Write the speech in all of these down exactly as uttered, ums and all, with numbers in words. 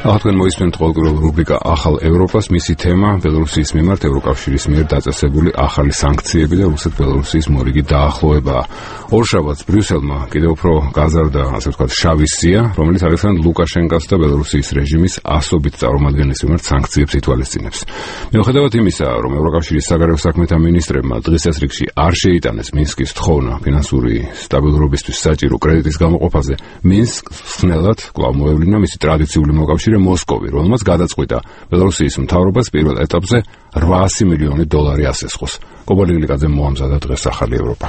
ახლა მოისმენთ ყოველკვირეულ რუბრიკა ახალ ევროპას, მისი თემა ბელორუსიის მიმართ ევროკავშირის მიერ დაწესებული ახალი სანქციები და რუსეთ-ბელორუსიის მორიგი დაახლოებაა. ორშაბათს ბრიუსელმა კიდევ უფრო გაზარდა, ასე ვთქვათ, შავი სია, რომელიც ალექსანდრ ლუკაშენკოს და ბელორუსიის რეჟიმის ასობით წარმომადგენლის მიმართ სანქციებს ითვალისწინებს. მიუხედავად იმისა, რომ ევროკავშირის საგარეო საქმეთა მინისტრებმა დღის წესრიგში არ შეიტანეს მინსკის თხოვნა ფინანსური სტაბილურობისთვის საჭირო კრედიტის გამოყოფაზე, მინსკს ხნელად კვლავ მოევლინა მისი ტრადიციული მოკავშირე მოსკოვი, რომელმაც გადაწყვიტა ბელორუსიის მთავრობას პირველ ეტაპზე რვაასი მილიონი დოლარი ასესხოს. კობალი გლიკაძემ მოამზადა დღეს ახალი ევროპა.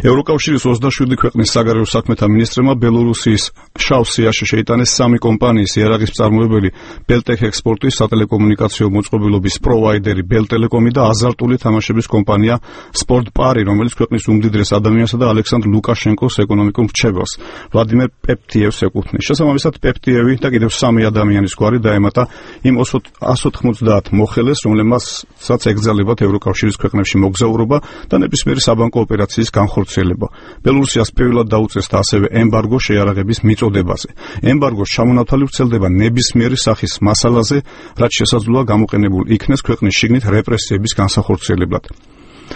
ევროკავშირის ოცდაშვიდი ქვეყნის საგარეო საქმეთა მინისტრებმა ბელორუსიის შავ სიაში შეიტანეს სამი კომპანიის იარაღის მწარმოებელი ბელტექ ექსპორტის სატელეკომუნიკაციო მოწყობილობის პროვაიდერი ბელტელეკომი და აზარტული თამაშების კომპანია სპორტპარი, რომელიც ქვეყნის უმდიდრეს ადამიანსა და ალექსანდრ ლუკაშენკოს ეკონომიკურ მრჩეველს ვლადიმერ პეპტიევს ეკუთვნის. შესაბამისად, პეპტიევი და კიდევ სამი ადამიანის გვარი დაემატა იმ ას ოცდაათი მოხელეს, რომლებმაც ეკრძალებათ ევროკავშირის ქვეყნებში მოგზაურობა და ნებისმიერი საბანკო ოპერაციის განხორციელება. ბელორუსიას პირველად დაუწესდა ასევე ემბარგო შეიარაღების მიწოდებაზე. ემბარგოს ჩამონათვალი ვრცელდება ნებისმიერი სახის მასალაზე, რაც შესაძლოა გამოყენებულ იქნეს ქვეყნის შიგნით რეპრესიების განსახორციელებლად.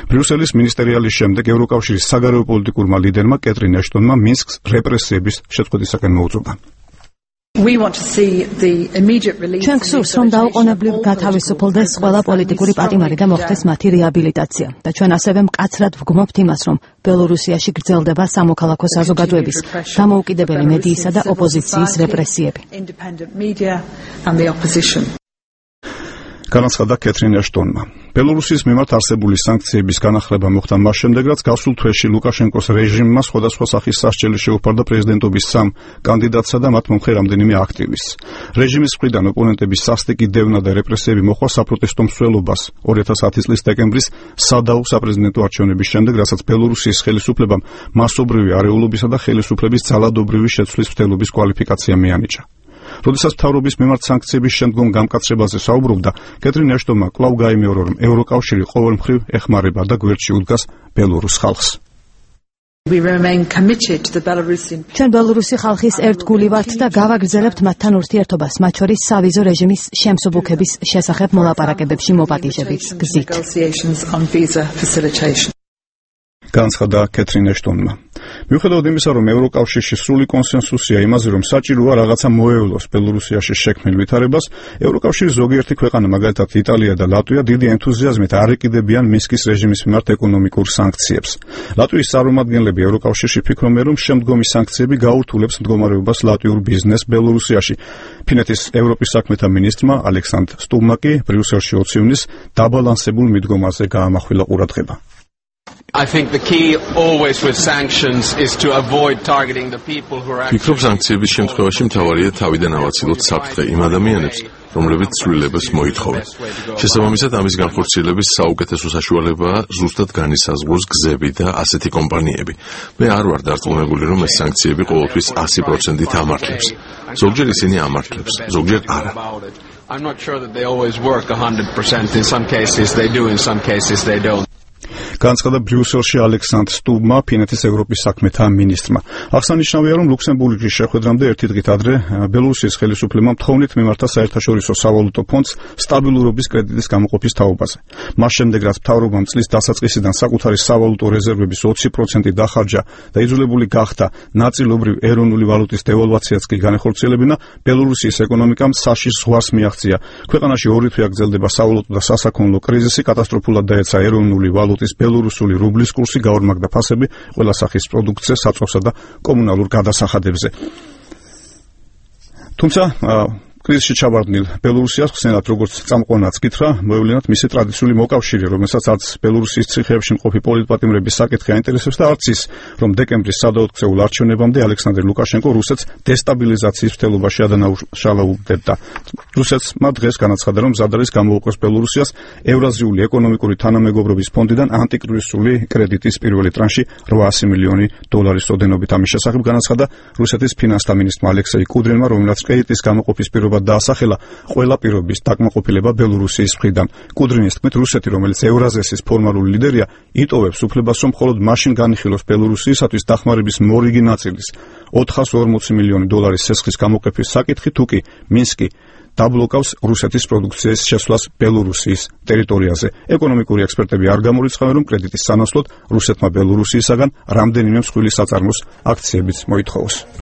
ბრიუსელის მინისტერიალის შემდეგ ევროკავშირის საგარეო პოლიტიკურმა ლიდერმა კეტრინ ეშტონმა მინსკს რეპრესიების შეწყვეტისაკენ მოუწოდა. ჩვენ გსურს, რომ დაუყოვნებლივ გათავისუფლდეს ყველა პოლიტიკური პატიმარი და მოხდეს მათი რეაბილიტაცია. და ჩვენ ასევე მკაცრად ვგმობთ იმას, რომ ბელორუსიაში გრძელდება სამოქალაქო საზოგადოების, დამოუკიდებელი მედიისა და ოპოზიციის რეპრესიები. განაცხადა კეტრინ ეშტონმა. ბელორუსის მიმართ არსებული სანქციების განახლება მოხდა მას შემდეგ, რაც გასულ თვეში ლუკაშენკოს რეჟიმმა სხვადასხვა სახის სასჯელი შეუფარდა პრეზიდენტობის სამ კანდიდატსა და მათ მომხრე რამდენიმე აქტივისტს. რეჟიმის მხრიდან ოპონენტების სასტიკი დევნა და რეპრესიები მოხდა საპროტესტო მსვლელობას ორი ათას ათი წლის დეკემბრის სადაუ საპრეზიდენტო არჩევნების შემდეგ, რასაც ბელორუსიის ხელისუფლებამ მასობრივი არეულობისა და ხელისუფლების ძალადობრივი შეცვლის მცდელობის კვალიფიკაცია მიანიჭა. როდესაც მთავრობის მიმართ სანქციების შემდგომ გამკაცრებაზე საუბრობდა, კეტრინ ეშტონმა კვლავ გაიმეორა, რომ ევროკავშირი ყოველმხრივ ეხმარება და გვერდში უდგას ბელორუს ხალხს. ჩვენ ბელორუსი ხალხის ერთგული ვართ და გავაგრძელებთ მათთან ურთიერთობას, მათ შორის სავიზო რეჟიმის შემსუბუქების შესახებ მოლაპარაკებებში მოპატიჟების გზით. განაცხადა კეტრინ ეშტონმა. მიუხედავად იმისა, რომ ევროკავშირში სრული კონსენსუსია იმაზე, რომ საჭიროა რაღაცა მოევლოს ბელორუსიაში შექმნილ ვითარებას, ევროკავშირის ზოგიერთი ქვეყანა, მაგალითად იტალია და ლატვია, დიდი ენთუზიაზმით არ ეკიდებიან მინსკის რეჟიმის მიმართ ეკონომიკურ სანქციებს. ლატვიის წარმომადგენლები ევროკავშირში ფიქრობენ, რომ შემდგომი სანქციები გაურთულებს მდგომარეობას ლატვიურ ბიზნესს ბელორუსიაში. ფინეთის ევროპის საქმეთა მინისტრმა ალექსანდრ სტუბმა კი ბრიუსელში ოცივნის დაბალანსებულ მიდგომაზე გაამახვილა ყურადღება. I think the key always with sanctions is to avoid targeting the people who are ფიქრობ სანქციების შემთხვევაში მთავარია თავიდან ავაცილოთ საფრთხე იმ ადამიანებს, რომლებიც ცვლილებას მოითხოვენ. შესაბამისად, ამის განხორციელების საუკეთესო საშუალებაა ზუსტად განისაზღვროს გზები და ასეთი კომპანიები. მე არ ვარ დარწმუნებული, რომ ეს სანქციები ყოველთვის ასი პროცენტით ამართლებს. ზოგჯერ ისინი ამართლებს, ზოგჯერ არა. I'm not sure that they always work one hundred percent. In some cases they do, in some cases they don't. განაცხადა ბრიუსელში ალექსანდრ სტუბმა, ფინეთის ევროპის საქმეთა მინისტრმა. აღსანიშნავია, რომ ლუქსემბურგის შეხვედრამდე ერთი დღით ადრე ბელორუსიის ხელისუფლებამ თხოვნით მიმართა საერთაშორისო სავალუტო ფონდს სტაბილურობის კრედიტის გამოყოფის თაობაზე. მას შემდეგ, რაც მთავრობამ წლის დასაწყისიდან საკუთარი სავალუტო რეზერვების ოცი პროცენტი დახარჯა და იძულებული გახდა ნაწილობრივ ეროვნული ვალუტის დევალვაციაც კი განეხორციელებინა, ბელორუსიის ეკონომიკამ საშიშ ზღვარს მიაღწია. ქვეყანაში ორი თვე აგრძელდება სავალუტო და სასაქონლო კრიზისი, კატასტროფულად დაეცა ეროვნული ვალუტის ბელორუსული რუბლის კურსი, გაორმაგდა ფასები ყველა სახის პროდუქციზე, საწვავსა და კომუნალურ გადასახადებზე. თუმცა კრიზისში ჩავარდნილ ბელორუსიას ხსენად, როგორც წამყვანაც კითხრა, მოევლინათ მისი ტრადიციული მოკავშირე, რომელსაც არც ბელორუსიის ციხეებში მყოფი პოლიტპატიმრების საკითხი აინტერესებს და არც ის, რომ დეკემბრის სადაოთხწეულ არჩევნებამდე ალექსანდრ ლუკაშენკო რუსეთს დესტაბილიზაციის მცდელობაში ადანაშაულებდა. რუსეთმა დღეს განაცხადა, რომ მზად არის გამოუყოს ბელორუსიას ევრაზიული ეკონომიკური თანამეგობრობის ფონდიდან ანტიკრიზისული კრედიტის პირველი ტრანში რვაასი მილიონი დოლარის ოდენობით. ამის შესახებ განაცხადა რუსეთის ფინანსთა მინისტრმა ალექსეი კუდრინმა, რომელსაც კრედიტის გამოყოფის პირობა მიღებად დაასახელა ყველა პირობის დაკმაყოფილება ბელორუსიის მხრიდან. კუდრინის თქმით, რუსეთი, რომელიც ევრაზესის ფორმალური ლიდერია, იტოვებს უფლებას, რომ მხოლოდ მაშინ განიხილოს ბელორუსიისათვის დახმარების მორიგი ნაწილის ოთხას ორმოცი მილიონი დოლარის სესხის გამოყოფის საკითხი, თუ კი მინსკი დაბლოკავს რუსეთის პროდუქციის შესვლას ბელორუსიის ტერიტორიაზე. ეკონომიკური ექსპერტები არ გამორიცხავენ, რომ კრედიტის სანაცვლოდ რუსეთმა ბელორუსიისაგან რამდენიმე მსხვილი საწარმოს აქციებიც მოითხოვოს.